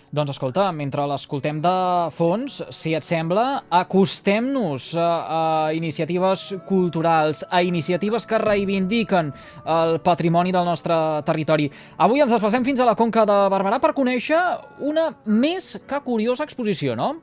Doncs escolta, mentre l'escoltem de fons, si et sembla, acostem-nos a iniciatives culturals, a iniciatives que reivindiquen el patrimoni del nostre territori. Avui ens desplacem fins a la Conca de Barberà per conèixer una més que curiosa exposició, no?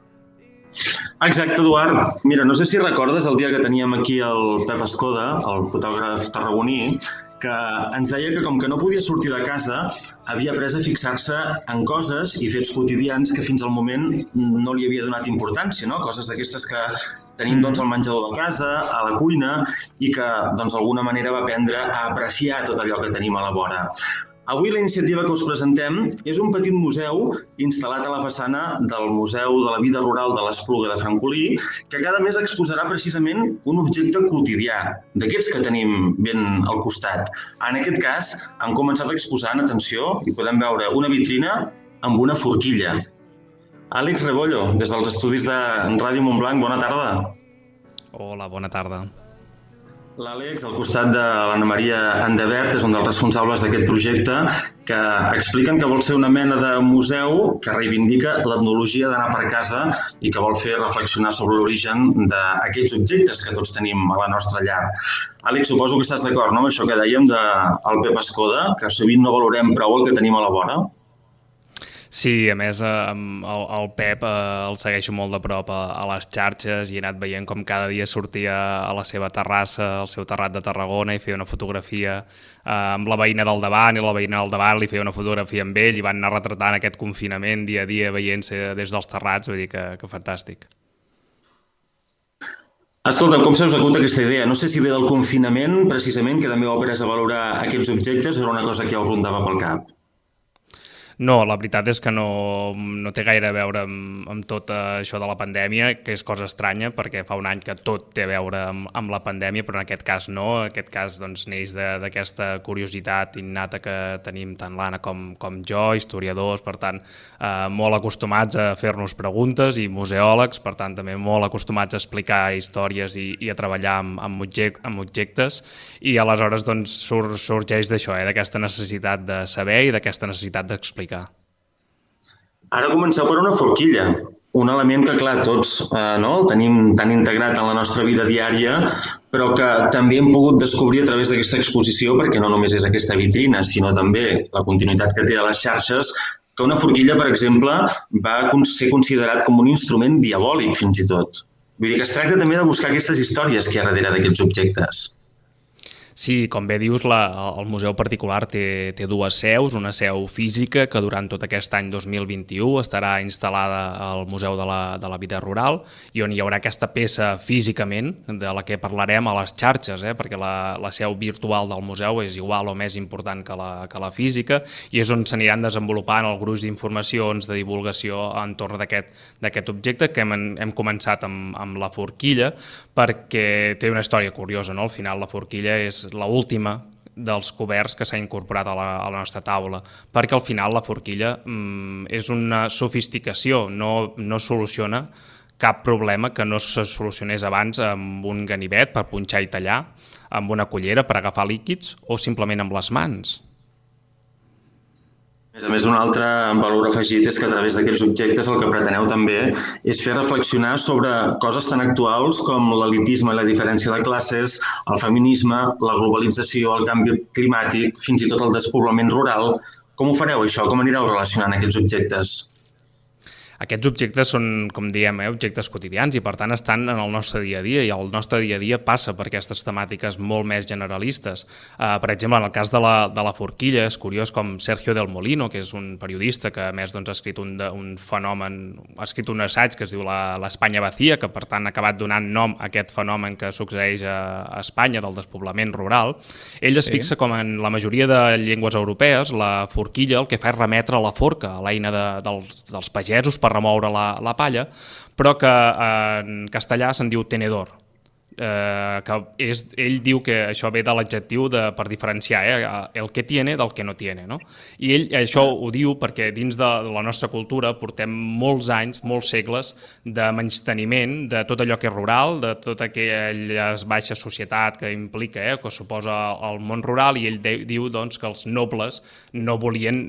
Exacte, Eduard. Mira, no sé si recordes el dia que teníem aquí el Pep Escoda, el fotògraf tarragoní, que ens deia que com que no podia sortir de casa, havia après a fixar-se en coses i fets quotidians que fins al moment no li havia donat importància, no? Coses d'aquestes que tenim doncs, al menjador de casa, a la cuina, i que doncs, d'alguna manera va aprendre a apreciar tot allò que tenim a la vora. Avui la iniciativa que us presentem és un petit museu instal·lat a la façana del Museu de la Vida Rural de l'Espluga de Francolí, que cada mes exposarà precisament un objecte quotidià, d'aquests que tenim ben al costat. En aquest cas, han començat a exposar, en atenció, i podem veure una vitrina amb una forquilla. Àlex Rebollo, des dels estudis de Ràdio Montblanc, bona tarda. Hola, bona tarda. L'Àlex, al costat de l'Anna Maria Andevert, és un dels responsables d'aquest projecte, que expliquen que vol ser una mena de museu que reivindica l'etnologia d'anar per casa i que vol fer reflexionar sobre l'origen d'aquests objectes que tots tenim a la nostra llar. Àlex, suposo que estàs d'acord, no?, amb això que dèiem del Pep Escoda, que sovint no valorem prou el que tenim a la vora? Sí, a més, el Pep el segueixo molt de prop a les xarxes i he anat veient com cada dia sortia a la seva terrassa, al seu terrat de Tarragona, i feia una fotografia amb la veïna del davant, i la veïna del davant li feia una fotografia amb ell, i van anar retratant aquest confinament dia a dia veient-se des dels terrats, vull dir que fantàstic. Escolta, com se us acut aquesta idea? No sé si ve del confinament, precisament, que també heu après a valorar aquests objectes, o era una cosa que ja us rondava pel cap? No, la veritat és que no té gaire a veure amb tot això de la pandèmia, que és cosa estranya, perquè fa un any que tot té a veure amb la pandèmia, però en aquest cas no. En aquest cas doncs, neix d'aquesta curiositat innata que tenim tant l'Anna com jo, historiadors, per tant, molt acostumats a fer-nos preguntes, i museòlegs, per tant, també molt acostumats a explicar històries i a treballar amb objectes, i aleshores doncs, sorgeix d'això, d'aquesta necessitat de saber i d'aquesta necessitat d'explicar. Ara comenceu per una forquilla, un element que, clar, tots no, el tenim tan integrat en la nostra vida diària, però que també hem pogut descobrir a través d'aquesta exposició, perquè no només és aquesta vitrina, sinó també la continuïtat que té a les xarxes, que una forquilla, per exemple, va ser considerat com un instrument diabòlic, fins i tot. Vull dir que es tracta també de buscar aquestes històries que hi ha darrere d'aquests objectes. Sí, com bé dius, el museu particular té dues seus, una seu física que durant tot aquest any 2021 estarà instal·lada al Museu de la Vida Rural, i on hi haurà aquesta peça físicament de la que parlarem a les xarxes, perquè la seu virtual del museu és igual o més important que la física, i és on s'aniran desenvolupant el gruix d'informacions, de divulgació entorn d'aquest objecte, que hem començat amb la forquilla, perquè té una història curiosa, no? Al final la forquilla és l'última dels coberts que s'ha incorporat a la nostra taula, perquè al final la forquilla és una sofisticació, no soluciona cap problema que no se solucionés abans amb un ganivet per punxar i tallar, amb una cullera per agafar líquids o simplement amb les mans. A més, un altre valor afegit és que a través d'aquests objectes el que preteneu també és fer reflexionar sobre coses tan actuals com l'elitisme i la diferència de classes, el feminisme, la globalització, el canvi climàtic, fins i tot el despoblament rural. Com ho fareu, això? Com anireu relacionant aquests objectes? Aquests objectes són, com diem, objectes quotidians, i per tant estan en el nostre dia a dia, i el nostre dia a dia passa per aquestes temàtiques molt més generalistes. Per exemple, en el cas de la forquilla, és curiós com Sergio del Molino, que és un periodista que a més doncs, ha escrit un fenomen, ha escrit un assaig que es diu l'Espanya vacía, que per tant ha acabat donant nom a aquest fenomen que succeeix a Espanya del despoblament rural. Ell es fixa com en la majoria de llengües europees la forquilla el que fa és remetre a la forca, a l'eina dels pagesos per remoure la palla, però que en castellà se'n diu tenedor. que ell diu que això ve de l'adjectiu per diferenciar el que tiene del que no tiene, no? I ell això ho diu perquè dins de la nostra cultura portem molts anys, molts segles de menysteniment de tot allò que és rural, de tota aquella baixa societat que implica, que suposa el món rural, i ell diu doncs, que els nobles no volien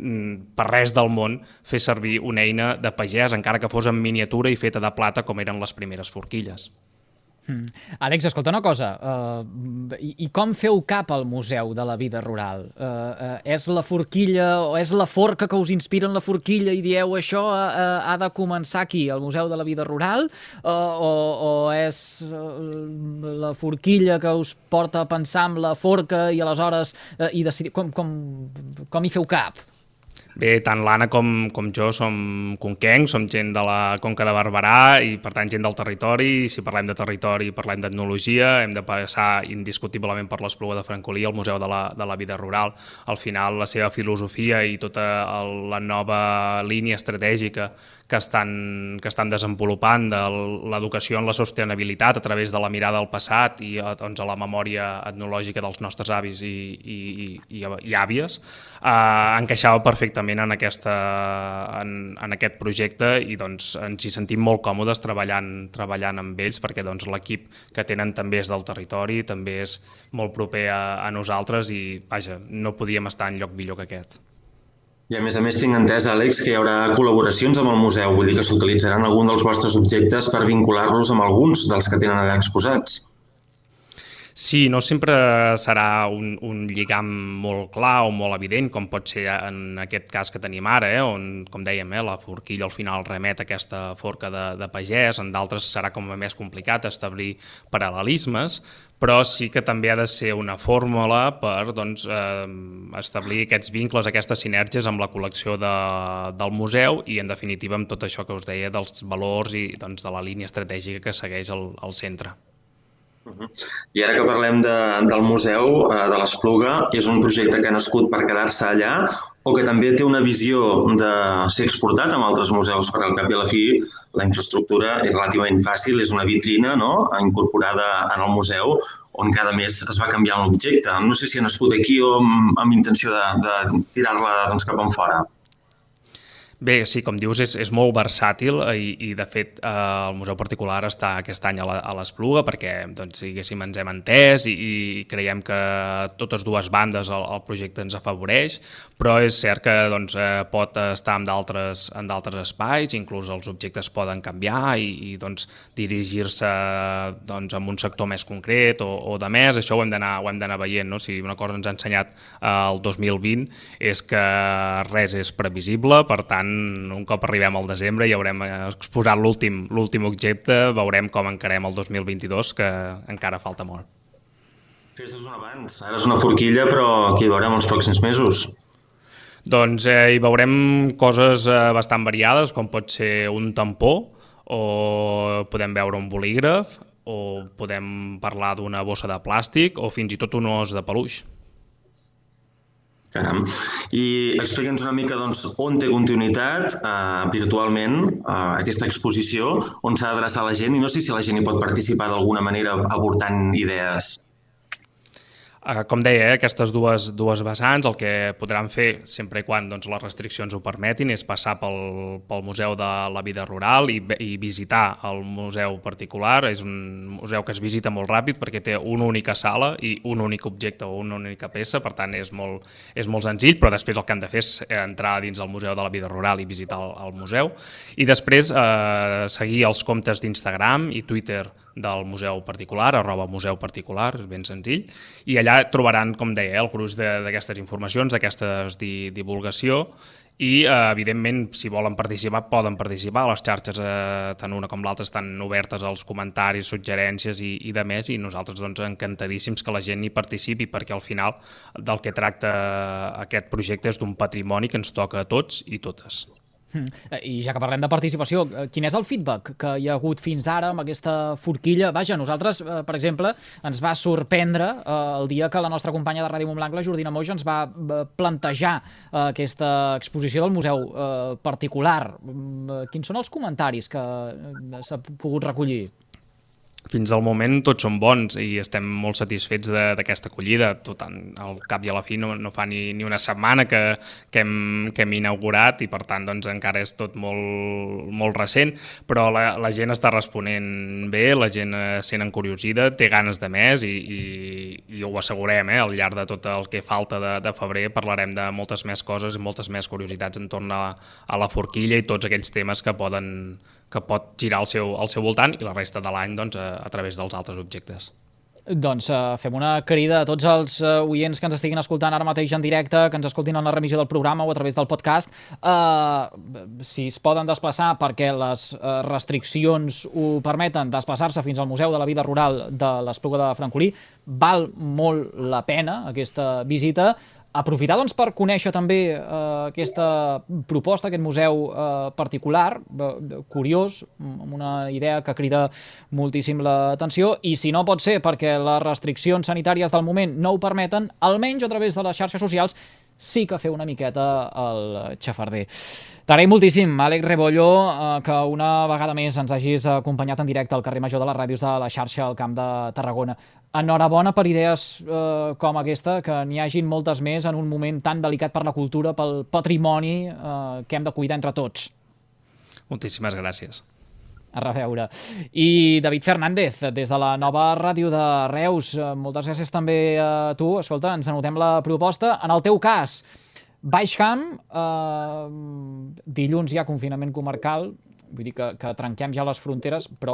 per res del món fer servir una eina de pagès, encara que fos en miniatura i feta de plata com eren les primeres forquilles. Àlex, escolta una cosa, i com feu cap al Museu de la Vida Rural? És la forquilla o és la forca que us inspira en la forquilla i dieu això ha de començar aquí, al Museu de la Vida Rural, o és la forquilla que us porta a pensar en la forca i aleshores i decidir com hi feu cap? Bé, tant l'Anna com jo som conquencs, som gent de la Conca de Barberà i, per tant, gent del territori. I si parlem de territori i parlem d'etnologia, hem de passar indiscutiblement per l'Espluga de Francolí, el Museu de la Vida Rural. Al final, la seva filosofia i tota la nova línia estratègica que estan desenvolupant de l'educació en la sostenibilitat a través de la mirada al passat i doncs, a la memòria etnològica dels nostres avis i àvies, encaixava perfectament en aquest projecte i doncs, ens hi sentim molt còmodes treballant amb ells perquè doncs, l'equip que tenen també és del territori, també és molt proper a nosaltres i vaja, no podíem estar en lloc millor que aquest. I a més tinc entès, Àlex, que hi haurà col·laboracions amb el museu, vull dir que s'utilitzaran algun dels vostres objectes per vincular-los amb alguns dels que tenen allà exposats. Sí, no sempre serà un lligam molt clar o molt evident, com pot ser en aquest cas que tenim ara, on, com dèiem, la forquilla al final remet a aquesta forca de pagès, en d'altres serà com més complicat establir paral·lelismes, però sí que també ha de ser una fórmula per establir aquests vincles, aquestes sinergies amb la col·lecció del museu i, en definitiva, amb tot això que us deia dels valors i de la línia estratègica que segueix el centre. I ara que parlem del Museu de l'Espluga, és un projecte que ha nascut per quedar-se allà o que també té una visió de ser exportat amb altres museus, perquè al cap i a la fi la infraestructura és relativament fàcil, és una vitrina incorporada en el museu on cada mes es va canviar un objecte. No sé si ha nascut aquí o amb intenció de tirar-la cap enfora. Bé, sí, com dius, és molt versàtil i de fet, el Museu Particular està aquest any a l'Espluga perquè, diguéssim, ens hem entès i creiem que totes dues bandes el projecte ens afavoreix, però és cert que pot estar en d'altres espais, inclús els objectes poden canviar i dirigir-se a un sector més concret o de més. Això ho hem d'anar veient, no? Si una cosa ens ha ensenyat el 2020 és que res és previsible, per tant, un cop arribem al desembre i haurem exposat l'últim objecte, veurem com encarem el 2022, que encara falta molt. Fes-nos un abans. Ara és una forquilla, però aquí hi veurem els pròxims mesos. Doncs hi veurem coses bastant variades, com pot ser un tampó, o podem veure un bolígraf, o podem parlar d'una bossa de plàstic, o fins i tot un os de peluix. Caram. I explica'ns una mica on té continuïtat virtualment aquesta exposició, on s'ha d'adreçar la gent i no sé si la gent hi pot participar d'alguna manera aportant idees. Com deia, aquestes dues vessants, el que podran fer, sempre quan les restriccions ho permetin, és passar pel Museu de la Vida Rural i visitar el Museu Particular. És un museu que es visita molt ràpid perquè té una única sala i un únic objecte o una única peça, per tant és molt senzill, però després el que han de fer és entrar dins el Museu de la Vida Rural i visitar el museu. I després seguir els comptes d'Instagram i Twitter del Museu Particular, @museuparticular, és ben senzill, i allà trobaran, com deia, el gruix d'aquestes informacions, d'aquesta divulgació i, evidentment, si volen participar, poden participar. Les xarxes, tant una com l'altra, estan obertes als comentaris, suggerències i de més, i nosaltres encantadíssims que la gent hi participi, perquè al final del que tracta aquest projecte és d'un patrimoni que ens toca a tots i totes. I ja que parlem de participació, quin és el feedback que hi ha hagut fins ara amb aquesta forquilla? Vaja, nosaltres, per exemple, ens va sorprendre el dia que la nostra companya de Ràdio Montblanc, la Jordina Moix, ens va plantejar aquesta exposició del Museu Particular. Quins són els comentaris que s'ha pogut recollir? Fins al moment tots són bons i estem molt satisfets d'aquesta acollida. Tot al cap i a la fi no fa ni una setmana que hem inaugurat i per tant doncs, encara és tot molt recent, però la gent està responent bé, la gent sent encuriosida, té ganes de més i ho assegurem, al llarg de tot el que falta de febrer parlarem de moltes més coses i moltes més curiositats entorn a la forquilla i tots aquells temes que pot girar al seu voltant i la resta de l'any doncs, a través dels altres objectes. Doncs fem una crida a tots els oients que ens estiguin escoltant ara mateix en directe, que ens escoltin en la remissió del programa o a través del podcast, si es poden desplaçar perquè les restriccions ho permeten, desplaçar-se fins al Museu de la Vida Rural de l'Espluga de Francolí. Val molt la pena aquesta visita. Aprofitar doncs, per conèixer també aquesta proposta, aquest museu particular, curiós, amb una idea que crida moltíssim l'atenció, i si no pot ser perquè les restriccions sanitàries del moment no ho permeten, almenys a través de les xarxes socials sí que fer una miqueta el xafarder. T'agraïm moltíssim, Àlex Rebollo, que una vegada més ens hagis acompanyat en directe al carrer Major de les Ràdios de la xarxa al Camp de Tarragona. Enhorabona per idees com aquesta, que n'hi hagin moltes més en un moment tan delicat per la cultura, pel patrimoni que hem de cuidar entre tots. Moltíssimes gràcies. A reveure. I David Fernández, des de la nova ràdio de Reus, moltes gràcies també a tu. Escolta, ens anotem la proposta. En el teu cas, Baix Camp, dilluns hi ha confinament comarcal, vull dir que trenquem ja les fronteres, però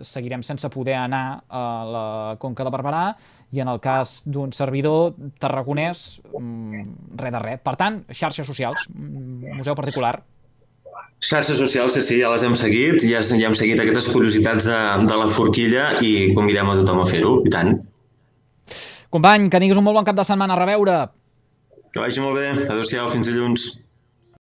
seguirem sense poder anar a la Conca de Barberà, i en el cas d'un servidor tarragonès, res de res. Per tant, xarxes socials, museu particular. Xarxes socials, sí, ja les hem seguit, ja hem seguit aquestes curiositats de la forquilla i convidem a tothom a fer-ho, i tant. Company, que tinguis un molt bon cap de setmana. A reveure. Que vagi molt bé. Adéu-siau, fins dilluns.